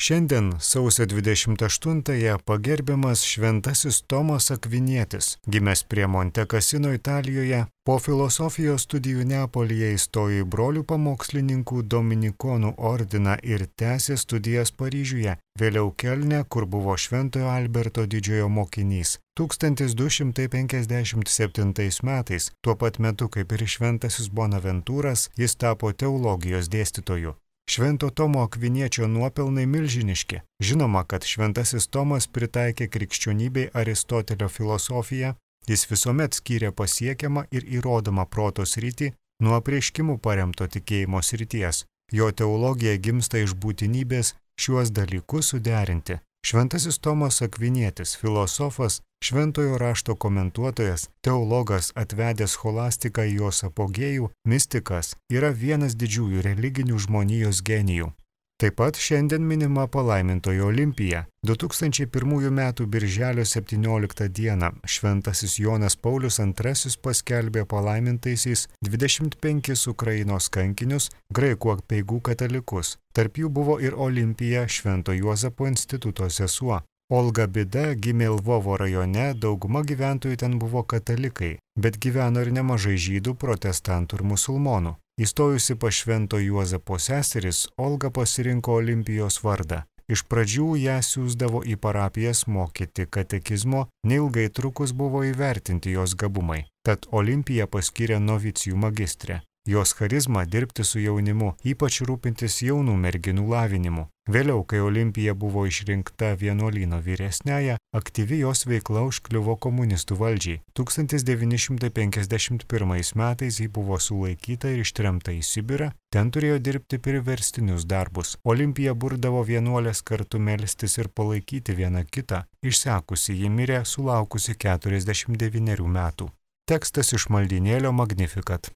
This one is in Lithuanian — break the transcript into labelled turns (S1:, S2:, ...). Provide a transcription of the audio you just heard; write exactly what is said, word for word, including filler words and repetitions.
S1: Šiandien sausio dvidešimt aštuntąją pagerbiamas šventasis Tomas Akvinietis, gimęs prie Monte Cassino Italijoje, po filosofijos studijų Neapolyje įstojo į brolių pamokslininkų dominikonų ordiną ir tęsė studijas Paryžiuje, vėliau Kelne, kur buvo Šventojo Alberto didžiojo mokinys. tūkstantis du šimtai penkiasdešimt septintais metais, tuo pat metu kaip ir šventasis Bonaventūras, jis tapo teologijos dėstytoju. Švento Tomo Akviniečio nuopelnai milžiniški. Žinoma, kad šventasis Tomas pritaikė krikščionybei Aristotelio filosofiją, jis visuomet skyrė pasiekiamą ir įrodomą proto sritį nuo apreiškimų paremto tikėjimo srities. Jo teologija gimsta iš būtinybės šiuos dalykus suderinti. Šventasis Tomas Akvinietis, filosofas, šventojo rašto komentuotojas, teologas atvedęs scholastiką į jos apogėjų, mistikas, yra vienas didžiųjų religinių žmonijos genijų. Taip pat šiandien minima palaimintoji Olimpija. du tūkstančiai pirmųjų metų birželio septynioliktą dieną šventasis Jonas Paulius antrasis paskelbė palaimintaisiais dvidešimt penkis Ukrainos kankinius, graikų apeigų katalikus. Tarp jų buvo ir Olimpija, Švento Juozapo instituto sesuo. Olga Bida gimė Lvovo rajone, dauguma gyventojų ten buvo katalikai, bet gyveno ir nemažai žydų, protestantų ir musulmonų. Įstojusi pas Švento Juozapo seseris, Olga pasirinko Olimpijos vardą. Iš pradžių ją siųsdavo į parapijas mokyti katekizmo, neilgai trukus buvo įvertinti jos gabumai. Tad Olimpija paskyrė novicijų magistrę. Jos charizma dirbti su jaunimu, ypač rūpintis jaunų merginų lavinimu. Vėliau, kai Olimpija buvo išrinkta vienuolyno vyresniąja, aktyvi jos veikla užkliuvo komunistų valdžiai. tūkstantis devyni šimtai penkiasdešimt pirmais metais ji buvo sulaikyta ir ištremta į Sibirą, ten turėjo dirbti priverstinius darbus. Olimpija burdavo vienuolės kartu melstis ir palaikyti vieną kitą. Išsekusi ji mirė sulaukusi keturiasdešimt devynerių metų. Tekstas iš maldynėlio Magnificat.